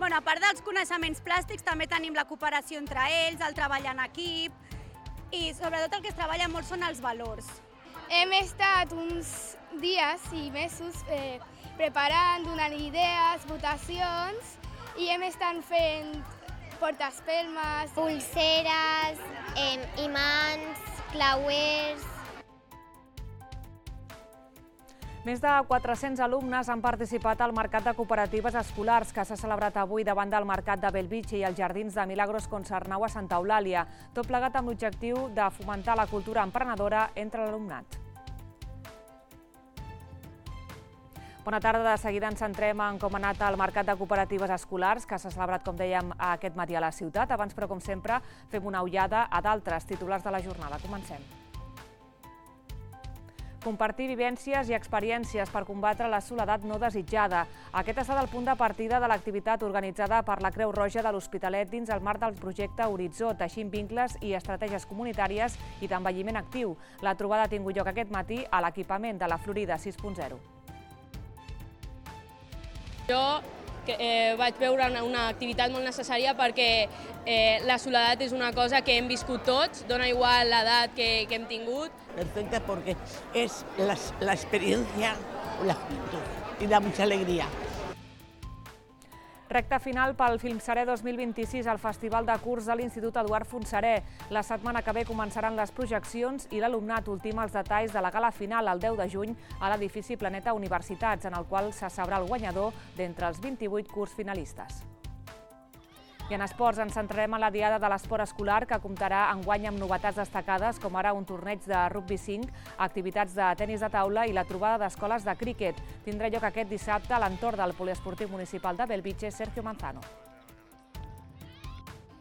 A part dels coneixements plàstics, també tenim la cooperació entre ells, el treball en equip i sobretot el que es treballa molt són els valors. Hem estat uns dies i mesos preparant, donant idees, votacions i hem estat fent portaespelmes, pulseres, imants, clauers. Més de 400 alumnes han participat al Mercat de Cooperatives Escolars que s'ha celebrat avui davant del Mercat de Bellvitge i els Jardins de Milagros Concernau a Santa Eulàlia, tot plegat amb l'objectiu de fomentar la cultura emprenedora entre l'alumnat. Bona tarda, de seguida ens centrem en com ha anat el Mercat de Cooperatives Escolars, que s'ha celebrat, com dèiem, aquest matí a la ciutat. Abans, però, com sempre, fem una ullada a d'altres titulars de la jornada. Comencem. Compartir vivències i experiències per combatre la soledat no desitjada. Aquest ha estat el punt de partida de l'activitat organitzada per la Creu Roja de l'Hospitalet dins el marc del projecte Horitzó, teixint vincles i estratègies comunitàries i d'envelliment actiu. La trobada ha tingut lloc aquest matí a l'equipament de la Florida 6.0. Jo vaig veure una activitat molt necessària perquè la soledat és una cosa que hem viscut tots, dona igual l'edat que hem tingut. Perfecta porque es la experiencia, la juventud y da mucha alegría. Recta final pel Filmseré 2026 al Festival de Curs de l'Institut Eduard Fontserè. La setmana que ve començaran les projeccions i l'alumnat ultima els detalls de la gala final el 10 de juny a l'edifici Planeta Universitats, en el qual se sabrà el guanyador d'entre els 28 curs finalistes. I en esports ens centrarem en la Diada de l'Esport Escolar, que comptarà enguany amb novetats destacades, com ara un torneig de rugby 5, activitats de tenis de taula i la trobada d'escoles de críquet. Tindrà lloc aquest dissabte a l'entorn del Poliesportiu Municipal de Bellvitge, Sergio Manzano.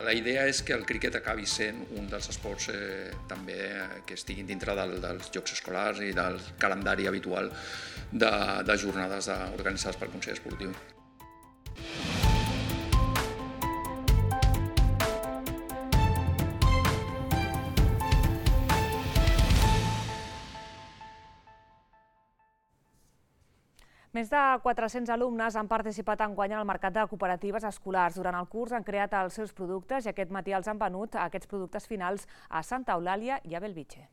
La idea és que el críquet acabi sent un dels esports també que estiguin dintre dels jocs escolars i del calendari habitual de jornades organitzades pel Consell Esportiu. Més de 400 alumnes han participat enguany al Mercat de Cooperatives Escolars. Durant el curs han creat els seus productes i aquest matí els han venut aquests productes finals a Santa Eulàlia i a Bellvitge.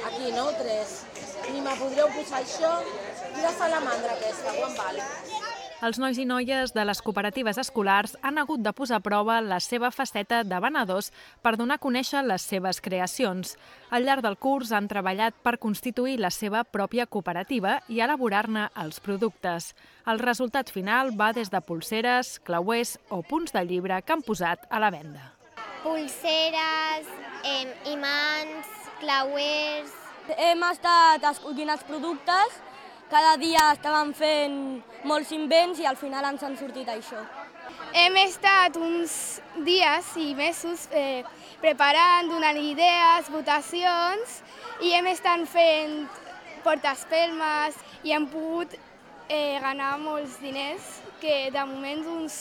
Aquí, no? 3. Ni me podríeu posar això i la salamandra aquesta, quan val? Els nois i noies de les cooperatives escolars han hagut de posar a prova la seva faceta de venedors per donar a conèixer les seves creacions. Al llarg del curs han treballat per constituir la seva pròpia cooperativa i elaborar-ne els productes. El resultat final va des de pulseres, clauers o punts de llibre que han posat a la venda. Pulseres, imants, clauers. Hem estat escollint els productes. Cada dia estàvem fent molts invents i al final ens han sortit això. Hem estat uns dies i mesos preparant, donant idees, votacions i hem estat fent portaespelmes i hem pogut ganar molts diners, que de moment uns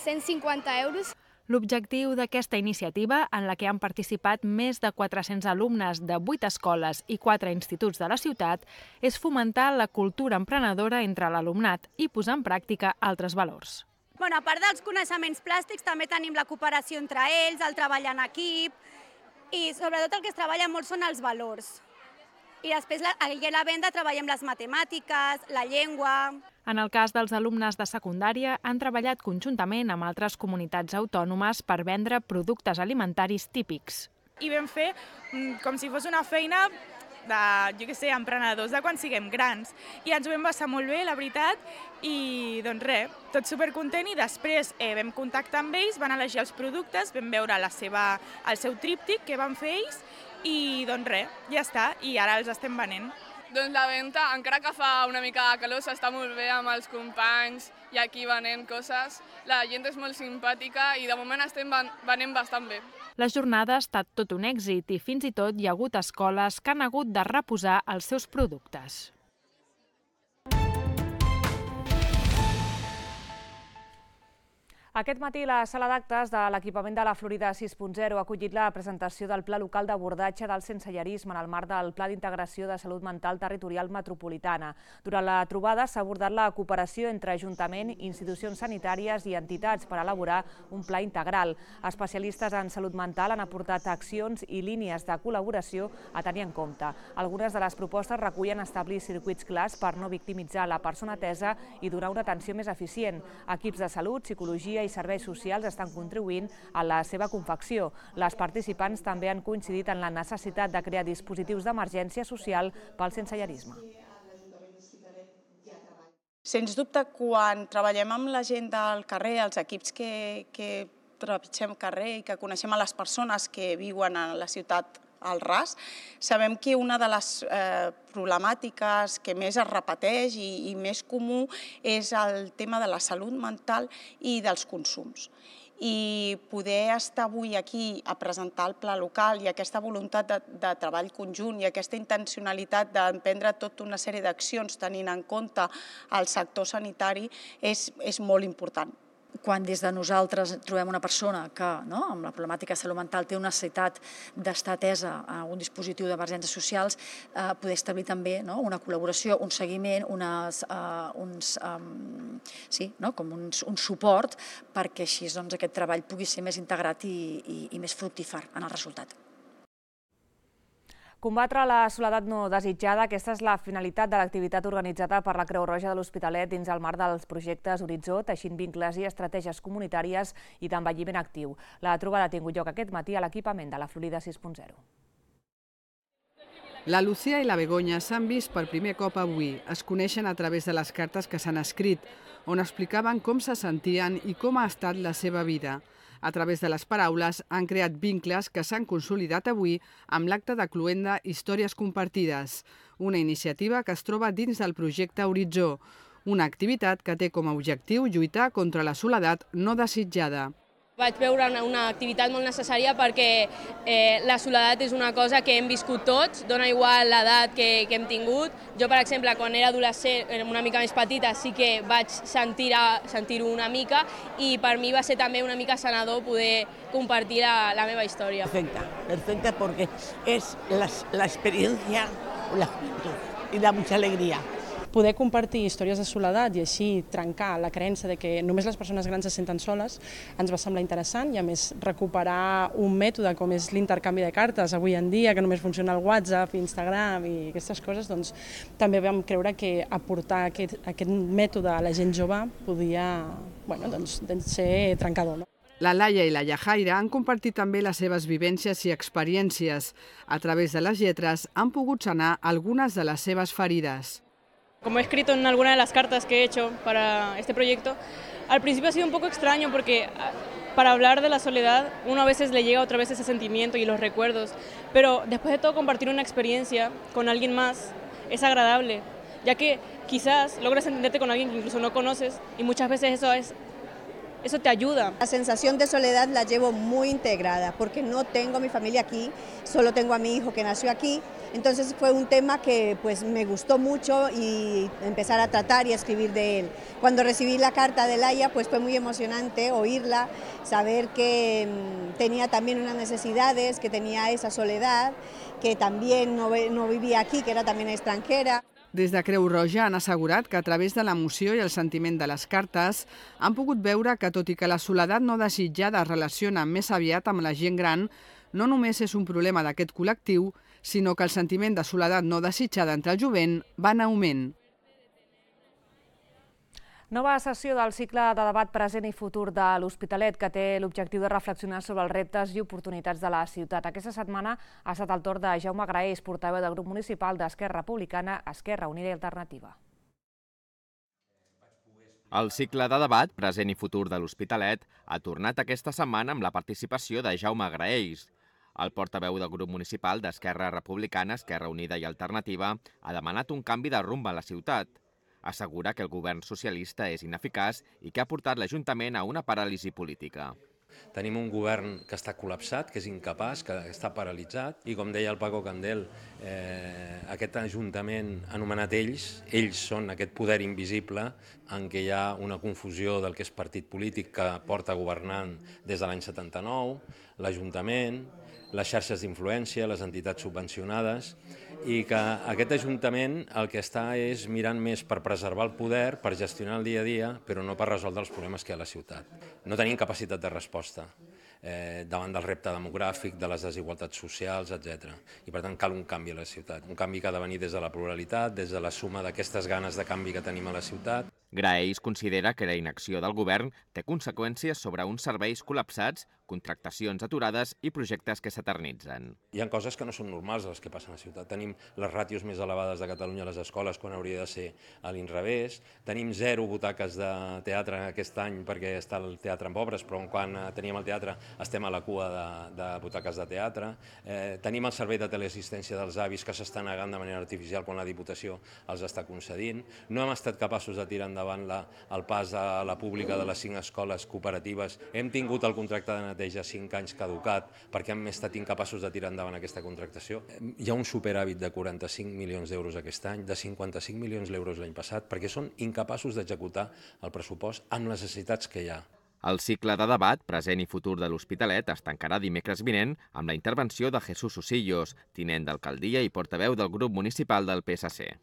150 euros. L'objectiu d'aquesta iniciativa, en la que han participat més de 400 alumnes de 8 escoles i 4 instituts de la ciutat, és fomentar la cultura emprenedora entre l'alumnat i posar en pràctica altres valors. A part dels coneixements plàstics, també tenim la cooperació entre ells, el treball en equip i sobretot el que es treballa molt són els valors. I després a la venda treballem les matemàtiques, la llengua. En el cas dels alumnes de secundària, han treballat conjuntament amb altres comunitats autònomes per vendre productes alimentaris típics. I vam fer com si fos una feina de, emprenedors de quan siguem grans. I ens ho vam passar molt bé, la veritat, i doncs res, tot supercontent. I després vam contactar amb ells, van elegir els productes, vam veure el seu tríptic que van fer ells i doncs res, ja està, i ara els estem venent. Doncs la venda, encara que fa una mica de calor, s'està molt bé amb els companys i aquí venent coses. La gent és molt simpàtica i de moment estem venent bastant bé. La jornada ha estat tot un èxit i fins i tot hi ha hagut escoles que han hagut de reposar els seus productes. Aquest matí la sala d'actes de l'equipament de la Florida 6.0 ha acollit la presentació del Pla Local d'Abordatge del Sensellarisme en el marc del Pla d'Integració de Salut Mental Territorial Metropolitana. Durant la trobada s'ha abordat la cooperació entre Ajuntament, institucions sanitàries i entitats per elaborar un pla integral. Especialistes en salut mental han aportat accions i línies de col·laboració a tenir en compte. Algunes de les propostes recullen establir circuits clars per no victimitzar la persona atesa i donar una atenció més eficient. Equips de salut, psicologia i serveis socials estan contribuint a la seva confecció. Les participants també han coincidit en la necessitat de crear dispositius d'emergència social pel sensellarisme. Sens dubte, quan treballem amb la gent del carrer, els equips que trepitgem carrer i que coneixem a les persones que viuen a la ciutat al ras, sabem que una de les problemàtiques que més es repeteix i més comú és el tema de la salut mental i dels consums. I poder estar avui aquí a presentar el pla local i aquesta voluntat de treball conjunt i aquesta intencionalitat d'emprendre tota una sèrie d'accions tenint en compte el sector sanitari és molt important. Quan des de nosaltres trobem una persona que amb la problemàtica de salut mental té una necessitat d'estar atesa a un dispositiu d'emergències socials, poder establir també una col·laboració, un seguiment, un suport perquè així aquest treball pugui ser més integrat i més fructífer en el resultat. Combatre la soledat no desitjada, aquesta és la finalitat de l'activitat organitzada per la Creu Roja de l'Hospitalet dins el marc dels projectes Horitzó, teixint vincles i estratègies comunitàries i d'envelliment actiu. La trobada ha tingut lloc aquest matí a l'equipament de la Florida 6.0. La Lucía i la Begoña s'han vist per primer cop avui. Es coneixen a través de les cartes que s'han escrit, on explicaven com se sentien i com ha estat la seva vida. A través de les paraules han creat vincles que s'han consolidat avui amb l'acte de cloenda Històries compartides, una iniciativa que es troba dins del projecte Horitzó, una activitat que té com a objectiu lluitar contra la soledat no desitjada. Vaig veure una activitat molt necessària perquè la soledat és una cosa que hem viscut tots, dona igual l'edat que hem tingut. Jo, per exemple, quan era adolescent, una mica més petita, sí que vaig sentir-ho una mica i per mi va ser també una mica sanador poder compartir la meva història. Perfecta porque es la experiencia, la juventud y da mucha alegría. Poder compartir històries de soledat i així trencar la creença de que només les persones grans se senten soles ens va semblar interessant i a més recuperar un mètode com és l'intercanvi de cartes avui en dia, que només funciona el WhatsApp, Instagram i aquestes coses, doncs també vam creure que aportar aquest mètode a la gent jove podia ser trencador. La Laia i la Yajaira han compartit també les seves vivències i experiències. A través de les lletres han pogut sanar algunes de les seves ferides. Como he escrito en alguna de las cartas que he hecho para este proyecto, al principio ha sido un poco extraño porque para hablar de la soledad uno a veces le llega otra vez ese sentimiento y los recuerdos, pero después de todo compartir una experiencia con alguien más es agradable, ya que quizás logras entenderte con alguien que incluso no conoces y muchas veces eso te ayuda. La sensación de soledad la llevo muy integrada porque no tengo a mi familia aquí, solo tengo a mi hijo que nació aquí. Entonces fue un tema que me gustó mucho y empezar a tratar y a escribir de él. Cuando recibí la carta de Laia fue muy emocionante oírla, saber que tenía también unas necesidades, que tenía esa soledad, que también no vivía aquí, que era también extranjera. Des de Creu Roja han assegurat que a través de l'emoció i el sentiment de les cartes han pogut veure que, tot i que la soledat no desitjada es relaciona més aviat amb la gent gran, no només és un problema d'aquest col·lectiu, sinó que el sentiment de soledat no desitjada entre el jovent va en augment. Nova sessió del cicle de debat present i futur de l'Hospitalet, que té l'objectiu de reflexionar sobre els reptes i oportunitats de la ciutat. Aquesta setmana ha estat el torn de Jaume Graells, portaveu del grup municipal d'Esquerra Republicana, Esquerra Unida i Alternativa. El cicle de debat present i futur de l'Hospitalet ha tornat aquesta setmana amb la participació de Jaume Graells. El portaveu del grup municipal d'Esquerra Republicana, Esquerra Unida i Alternativa ha demanat un canvi de rumb a la ciutat. Assegura que el govern socialista és ineficaç i que ha portat l'Ajuntament a una paràlisi política. Tenim un govern que està col·lapsat, que és incapaç, que està paralitzat, i com deia el Paco Candel, aquest Ajuntament anomenat ells són aquest poder invisible en què hi ha una confusió del que és partit polític que porta governant des de l'any 79, l'Ajuntament, les xarxes d'influència, les entitats subvencionades, i que aquest Ajuntament el que està és mirant més per preservar el poder, per gestionar el dia a dia, però no per resoldre els problemes que hi ha a la ciutat. No tenim capacitat de resposta davant del repte demogràfic, de les desigualtats socials, etc. I per tant cal un canvi a la ciutat, un canvi que ha de venir des de la pluralitat, des de la suma d'aquestes ganes de canvi que tenim a la ciutat. Graells considera que la inacció del govern té conseqüències sobre uns serveis col·lapsats, contractacions aturades i projectes que s'eternitzen. Hi ha coses que no són normals les que passen a la ciutat. Tenim les ràtios més elevades de Catalunya a les escoles quan hauria de ser a l'inrevés. Tenim 0 butaques de teatre aquest any perquè està el teatre en obres, però quan teníem el teatre estem a la cua de butaques de teatre. Tenim el servei de teleassistència dels avis que s'està negant de manera artificial quan la Diputació els està concedint. No hem estat capaços de tirar endavant el pas a la pública de les 5 escoles cooperatives. Hem tingut el contracte de neteja 5 anys caducat perquè hem estat incapaços de tirar endavant aquesta contractació. Hi ha un superàvit de 45 milions d'euros aquest any, de 55 milions d'euros l'any passat, perquè són incapaços d'executar el pressupost amb les necessitats que hi ha. El cicle de debat, present i futur de l'Hospitalet, es tancarà dimecres vinent amb la intervenció de Jesús Osillos, tinent d'alcaldia i portaveu del grup municipal del PSC.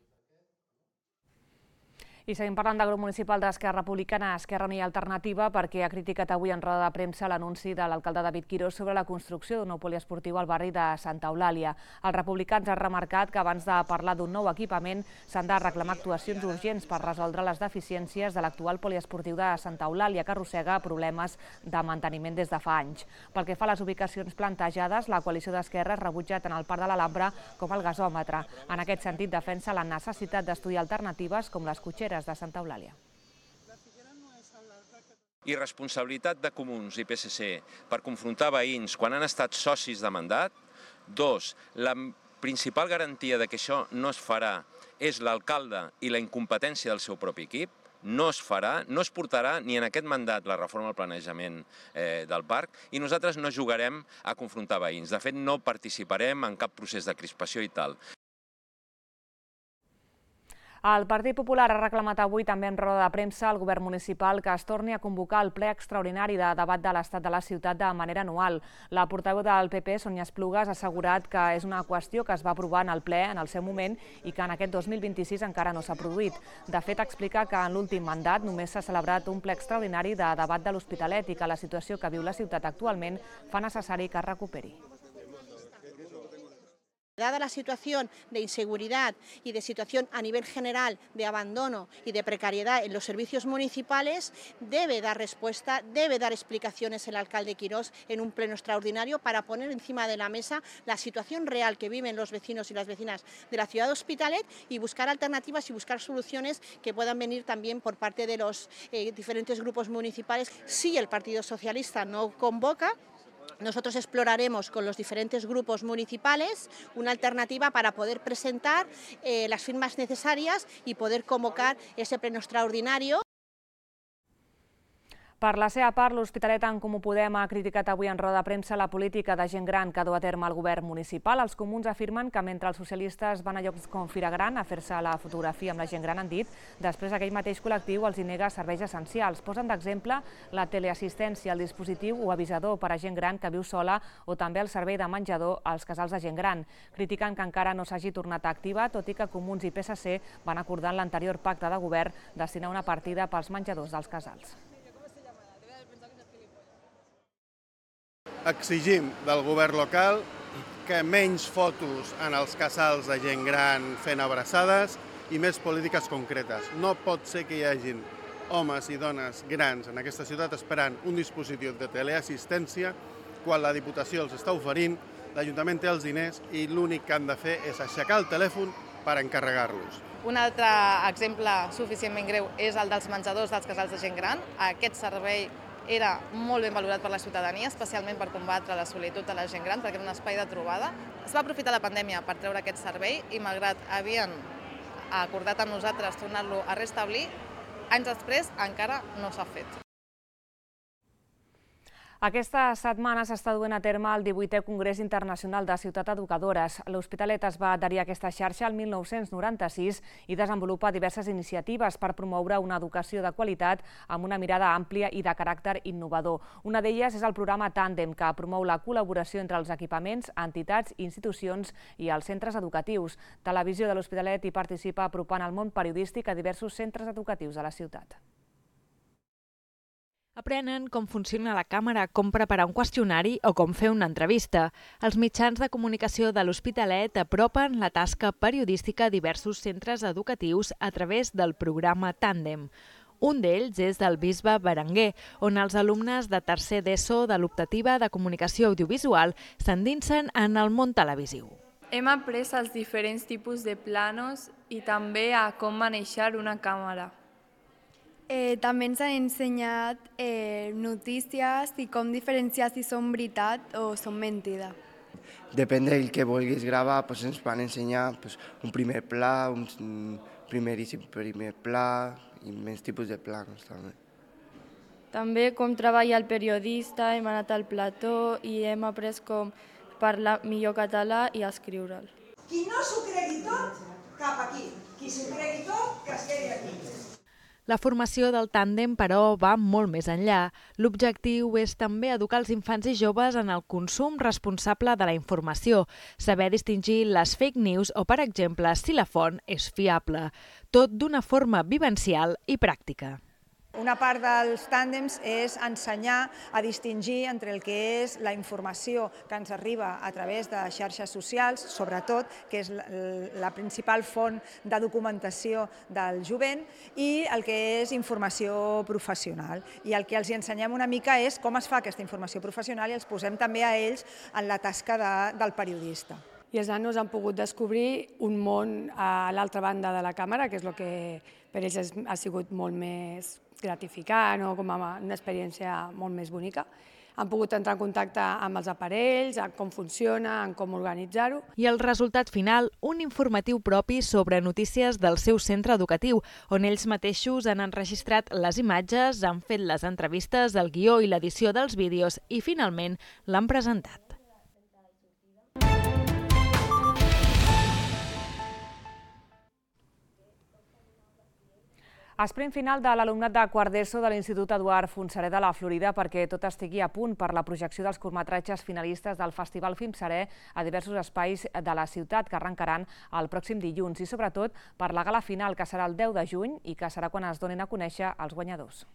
I seguim parlant del grup municipal d'Esquerra Republicana, Esquerra Unida i Alternativa, perquè ha criticat avui en roda de premsa l'anunci de l'alcalde David Quirós sobre la construcció d'un nou poliesportiu al barri de Santa Eulàlia. Els republicans han remarcat que abans de parlar d'un nou equipament s'han de reclamar actuacions urgents per resoldre les deficiències de l'actual poliesportiu de Santa Eulàlia, que arrossega problemes de manteniment des de fa anys. Pel que fa a les ubicacions plantejades, la coalició d'esquerres rebutja tant el Parc de l'Alhambra com el gasòmetre. En aquest sentit, defensa la necessitat d'estudiar alternatives com les cotxeres de Santa Eulàlia. Irresponsabilitat de Comuns i PSC per confrontar veïns quan han estat socis de mandat. 2. La principal garantia de que això no es farà és l'alcalde i la incompetència del seu propi equip. No es farà, no es portarà ni en aquest mandat la reforma del planejament del parc i nosaltres no jugarem a confrontar veïns. De fet, no participarem en cap procés de crispació i tal. El Partit Popular ha reclamat avui també en roda de premsa al govern municipal que es torni a convocar el ple extraordinari de debat de l'estat de la ciutat de manera anual. La portaveu del PP, Sònia Esplugas, ha assegurat que és una qüestió que es va aprovar en el ple en el seu moment i que en aquest 2026 encara no s'ha produït. De fet, explica que en l'últim mandat només s'ha celebrat un ple extraordinari de debat de l'Hospitalet i que la situació que viu la ciutat actualment fa necessari que es recuperi. Dada la situación de inseguridad y de situación a nivel general de abandono y de precariedad en los servicios municipales, debe dar respuesta, debe dar explicaciones el alcalde Quirós en un pleno extraordinario para poner encima de la mesa la situación real que viven los vecinos y las vecinas de la ciudad de Hospitalet y buscar alternativas y buscar soluciones que puedan venir también por parte de los diferentes grupos municipales. Si el Partido Socialista no convoca, nosotros exploraremos con los diferentes grupos municipales una alternativa para poder presentar las firmas necesarias y poder convocar ese pleno extraordinario. Per la seva part, l'Hospitalet en Comú Podem ha criticat avui en roda de premsa la política de gent gran que du a terme el govern municipal. Els comuns afirmen que mentre els socialistes van a llocs com Fira Gran a fer-se la fotografia amb la gent gran, han dit, després aquell mateix col·lectiu els hi nega serveis essencials. Posen d'exemple la teleassistència, el dispositiu o avisador per a gent gran que viu sola o també el servei de menjador als casals de gent gran. Critiquen que encara no s'hagi tornat a activar, tot i que Comuns i PSC van acordar en l'anterior pacte de govern destinar una partida pels menjadors dels casals. Exigim del govern local que menys fotos en els casals de gent gran fent abraçades i més polítiques concretes. No pot ser que hi hagin homes i dones grans en aquesta ciutat esperant un dispositiu de teleassistència quan la Diputació els està oferint, l'Ajuntament té els diners i l'únic que han de fer és aixecar el telèfon per encarregar-los. Un altre exemple suficientment greu és el dels menjadors dels casals de gent gran. Aquest servei era molt ben valorat per la ciutadania, especialment per combatre la solitud de la gent gran, perquè era un espai de trobada. Es va aprofitar la pandèmia per treure aquest servei i, malgrat havien acordat amb nosaltres tornar-lo a restablir, anys després encara no s'ha fet. Aquesta setmana s'està duent a terme el 18è Congrés Internacional de Ciutat Educadores. L'Hospitalet es va adherir a aquesta xarxa el 1996 i desenvolupa diverses iniciatives per promoure una educació de qualitat amb una mirada àmplia i de caràcter innovador. Una d'elles és el programa Tàndem, que promou la col·laboració entre els equipaments, entitats, institucions i els centres educatius. Televisió de l'Hospitalet hi participa apropant el món periodístic a diversos centres educatius de la ciutat. Aprenen com funciona la càmera, com preparar un qüestionari o com fer una entrevista. Els mitjans de comunicació de l'Hospitalet apropen la tasca periodística a diversos centres educatius a través del programa Tàndem. Un d'ells és del Bisbe Berenguer, on els alumnes de tercer d'ESO de l'optativa de comunicació audiovisual s'endinsen en el món televisiu. Hem après els diferents tipus de planos i també a com manejar una càmera. També ens han ensenyat notícies i com diferenciar si són veritat o són mentida. Depèn del que vulguis gravar, ens van ensenyar un primer pla, un primer pla i més tipus de plans també. També com treballa el periodista, hem anat al plató i hem après com parlar millor català i escriure'l. Qui no s'ho cregui tot, cap aquí. Qui s'ho cregui tot, que es quedi aquí. La formació del tàndem, però, va molt més enllà. L'objectiu és també educar els infants i joves en el consum responsable de la informació, saber distingir les fake news o, per exemple, si la font és fiable. Tot d'una forma vivencial i pràctica. Una part dels tàndems és ensenyar a distingir entre el que és la informació que ens arriba a través de xarxes socials, sobretot, que és la principal font de documentació del jovent, i el que és informació professional. I el que els ensenyem una mica és com es fa aquesta informació professional i els posem també a ells en la tasca del periodista. I els nanos han pogut descobrir un món a l'altra banda de la càmera, que és el que per ells ha sigut molt més gratificant o com una experiència molt més bonica. Han pogut entrar en contacte amb els aparells, amb com funciona, amb com organitzar-ho. I el resultat final, un informatiu propi sobre notícies del seu centre educatiu, on ells mateixos han enregistrat les imatges, han fet les entrevistes, el guió i l'edició dels vídeos i finalment l'han presentat. Esprint final de l'alumnat de quart d'ESO de l'Institut Eduard Fontserè de la Florida perquè tot estigui a punt per la projecció dels curtmetratges finalistes del Festival Filmserè a diversos espais de la ciutat que arrencaran el pròxim dilluns i sobretot per la gala final que serà el 10 de juny i que serà quan es donin a conèixer els guanyadors.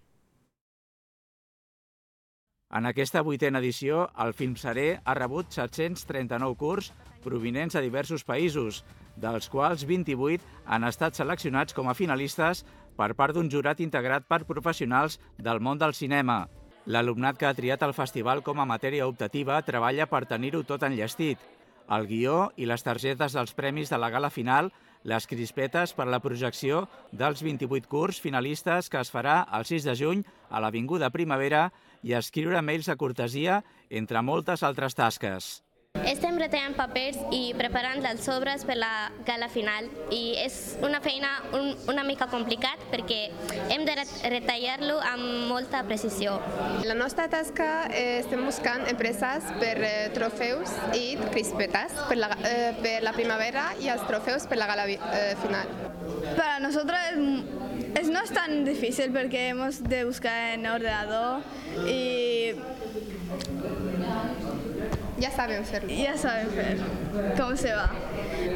En aquesta 8a edició, el Filmserè ha rebut 739 curts provinents de diversos països, dels quals 28 han estat seleccionats com a finalistes per part d'un jurat integrat per professionals del món del cinema. L'alumnat que ha triat el festival com a matèria optativa treballa per tenir-ho tot enllestit. El guió i les targetes dels premis de la gala final, les crispetes per la projecció dels 28 curts finalistes que es farà el 6 de juny a l'Avinguda Primavera i escriure mails de cortesia, entre moltes altres tasques. Estem retallant papers i preparant els sobres per la gala final i és una feina una mica complicat perquè hem de retallar-lo amb molta precisió. La nostra tasca estem buscant empreses per trofeus i crispetes per la primavera i els trofeus per la gala final. Para nosotros no es tan difícil porque hemos de buscar en ordenador y ya saben hacerlo. Ya saben hacer cómo se va.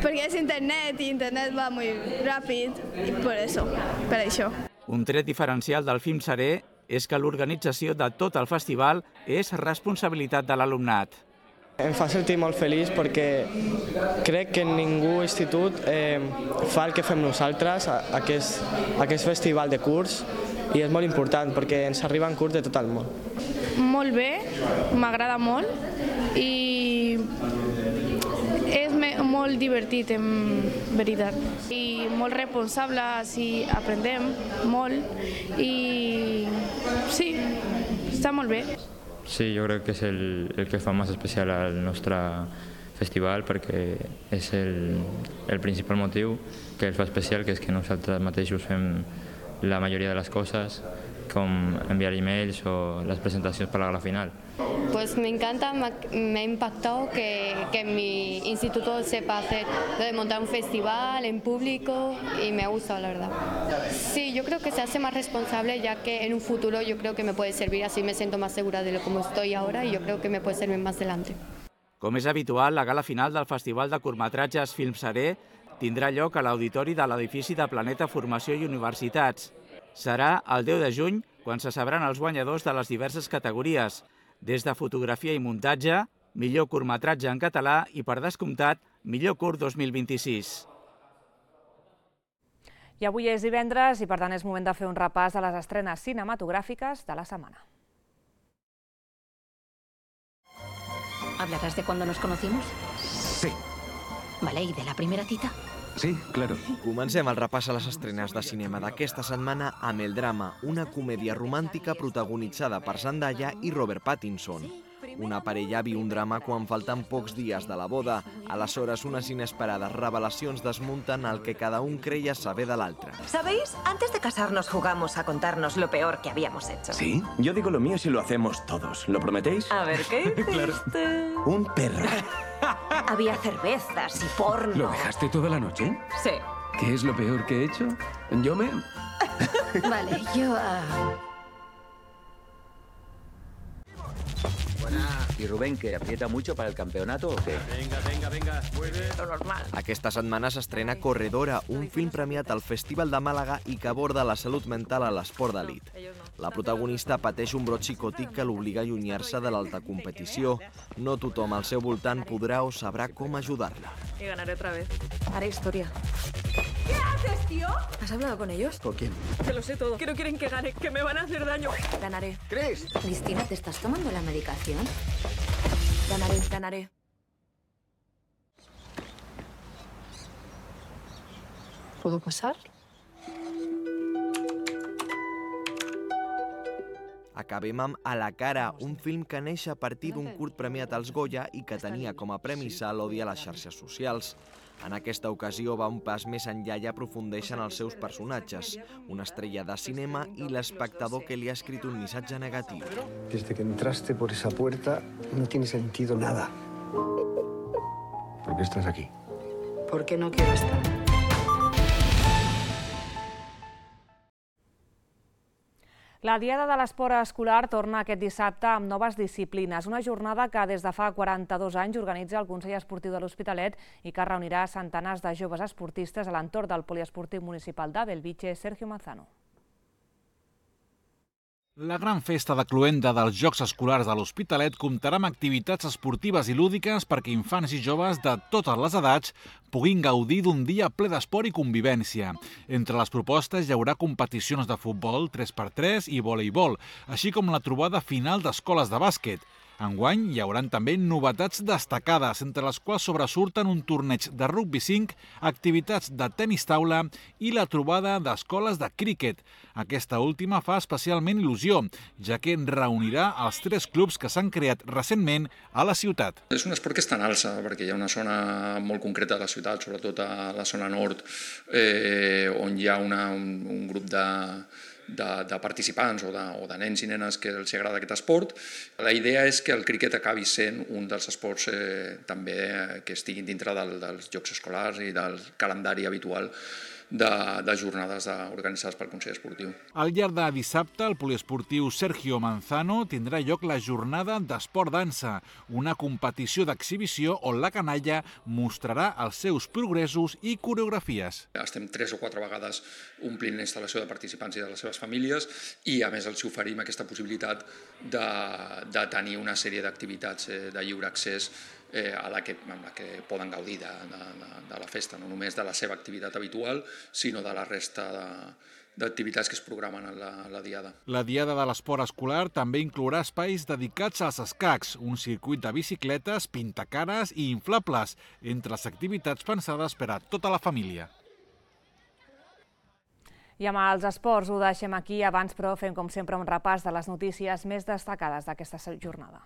Porque es internet y internet va muy rápido y por eso, per això. Un tret diferencial del Filmserè és que l'organització de tot el festival és responsabilitat de l'alumnat. Em fa sentir molt feliç perquè crec que ningú institut fa el que fem nosaltres, aquest festival de curs, i és molt important perquè ens arriben curs de tot el món. Molt bé, m'agrada molt i és molt divertit, en veritat. I molt responsable, si aprendem molt i sí, està molt bé. Sí, jo crec que és el que fa més especial al nostre festival perquè és el principal motiu que el fa especial, que és que nosaltres mateixos fem la majoria de les coses com enviar emails o las presentaciones para la gala final. Pues me encanta, me ha impactado que mi instituto sepa hacer, de montar un festival en público y me ha gustado, la verdad. Sí, yo creo que se hace más responsable, ya que en un futuro yo creo que me puede servir, así me siento más segura de lo como estoy ahora y yo creo que me puede servir más adelante. Com és habitual, la gala final del Festival de Curtmetratges Filmsaré tindrà lloc a l'auditori de l'edifici de Planeta Formació i Universitats. Serà el 10 de juny quan se sabran els guanyadors de les diverses categories, des de fotografia i muntatge, millor curtmetratge en català i, per descomptat, millor curt 2026. I avui és divendres i, per tant, és moment de fer un repàs de les estrenes cinematogràfiques de la setmana. ¿Hablarás de cuando nos conocimos? Sí. Vale, ¿y de la primera cita? Sí, claro. Comencem el repàs a les estrenes de cinema d'aquesta setmana amb El drama, una comèdia romàntica protagonitzada per Zendaya i Robert Pattinson. Una parella viu un drama quan falten pocs dies de la boda. Aleshores, unes inesperades revelacions desmunten el que cada un creia saber de l'altre. ¿Sabéis? Antes de casarnos jugamos a contarnos lo peor que habíamos hecho. ¿Sí? Yo digo lo mío si lo hacemos todos. ¿Lo prometéis? A ver, ¿qué hiciste? Claro. Un perro. Había cervezas y porno. ¿Lo dejaste toda la noche? Sí. ¿Qué es lo peor que he hecho? Yo me... Vale, yo... ¿Y Rubén, que aprieta mucho para el campeonato o qué? Venga, vuelve. Lo normal. Aquesta setmana s'estrena Corredora, un film premiat al Festival de Màlaga i que aborda la salut mental a l'esport d'elit. La protagonista pateix un brot psicòtic que l'obliga a allunyar-se de l'alta competició. No tothom al seu voltant podrà o sabrà com ajudar-la. Y ganaré otra vez. Haré historia. ¿Qué haces, tío? ¿Has hablado con ellos? ¿Con quién? Que lo sé todo. Que no quieren que gane, que me van a hacer daño. Ganaré. ¿Crees? Cristina, ¿te estás tomando la medicación? Ganaré. ¿Puedo pasar? Acabem amb A la cara, un film que neix a partir d'un curt premiat als Goya i que tenia com a premissa l'odi a les xarxes socials. En aquesta ocasió va un pas més enllà i aprofundeix en els seus personatges, una estrella de cinema i l'espectador que li ha escrit un missatge negatiu. Desde que entraste por esa puerta no tiene sentido nada. ¿Por qué estás aquí? ¿Por qué no quiero estar? La Diada de l'Esport Escolar torna aquest dissabte amb noves disciplines, una jornada que des de fa 42 anys organitza el Consell Esportiu de l'Hospitalet i que reunirà centenars de joves esportistes a l'entorn del Poliesportiu Municipal de Belvitge. Sergio Manzano. La gran festa de cloenda dels Jocs Escolars de l'Hospitalet comptarà amb activitats esportives i lúdiques perquè infants i joves de totes les edats puguin gaudir d'un dia ple d'esport i convivència. Entre les propostes hi haurà competicions de futbol, 3x3 i voleibol, així com la trobada final d'escoles de bàsquet. Enguany hi haurà també novetats destacades, entre les quals sobresurten un torneig de rugby 5, activitats de tenis taula i la trobada d'escoles de críquet. Aquesta última fa especialment il·lusió, ja que reunirà els 3 clubs que s'han creat recentment a la ciutat. És un esport que està en alça, perquè hi ha una zona molt concreta de la ciutat, sobretot a la zona nord, on hi ha un grup de participants o de nens i nenes que els agrada aquest esport. La idea és que el críquet acabi sent un dels esports també que estiguin dintre dels Jocs Escolars i del calendari habitual de jornades organitzades pel Consell Esportiu. Al llarg de dissabte, el poliesportiu Sergio Manzano tindrà lloc la jornada d'esport-dansa, una competició d'exhibició on la canalla mostrarà els seus progressos i coreografies. Estem 3 o 4 vegades omplint la instal·lació de participants i de les seves famílies i a més els oferim aquesta possibilitat de tenir una sèrie d'activitats de lliure accés amb la que poden gaudir de la festa, no només de la seva activitat habitual, sinó de la resta d'activitats que es programen a la Diada. La Diada de l'Esport Escolar també inclourà espais dedicats als escacs, un circuit de bicicletes, pintacares i inflables, entre les activitats pensades per a tota la família. I amb els esports ho deixem aquí. Abans, però, fem com sempre un repàs de les notícies més destacades d'aquesta jornada.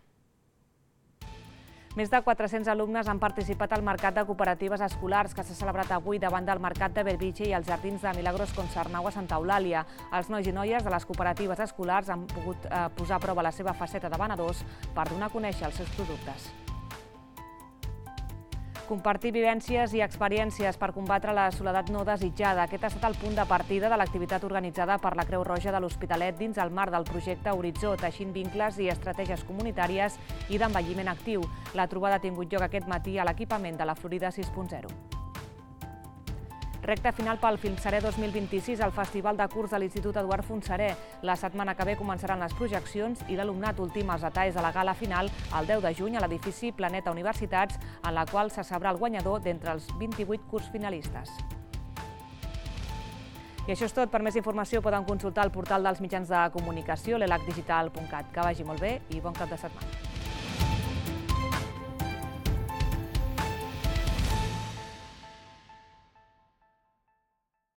Més de 400 alumnes han participat al Mercat de Cooperatives Escolars que s'ha celebrat avui davant del Mercat de Bellvitge i els Jardins de Milagros Concernau a Santa Eulàlia. Els nois i noies de les cooperatives escolars han pogut posar a prova la seva faceta de venedors per donar a conèixer els seus productes. Compartir vivències i experiències per combatre la soledat no desitjada. Aquest ha estat el punt de partida de l'activitat organitzada per la Creu Roja de l'Hospitalet dins el marc del projecte Horitzó, teixint vincles i estratègies comunitàries i d'envelliment actiu. La trobada ha tingut lloc aquest matí a l'equipament de la Florida 6.0. Recta final pel Filmsaré 2026 al Festival de Curs de l'Institut Eduard Fontserè. La setmana que ve començaran les projeccions i l'alumnat ultima els detalls de la gala final el 10 de juny a l'edifici Planeta Universitats, en la qual se sabrà el guanyador d'entre els 28 curs finalistes. I això és tot. Per més informació poden consultar el portal dels mitjans de comunicació, l'elacdigital.cat. Que vagi molt bé i bon cap de setmana.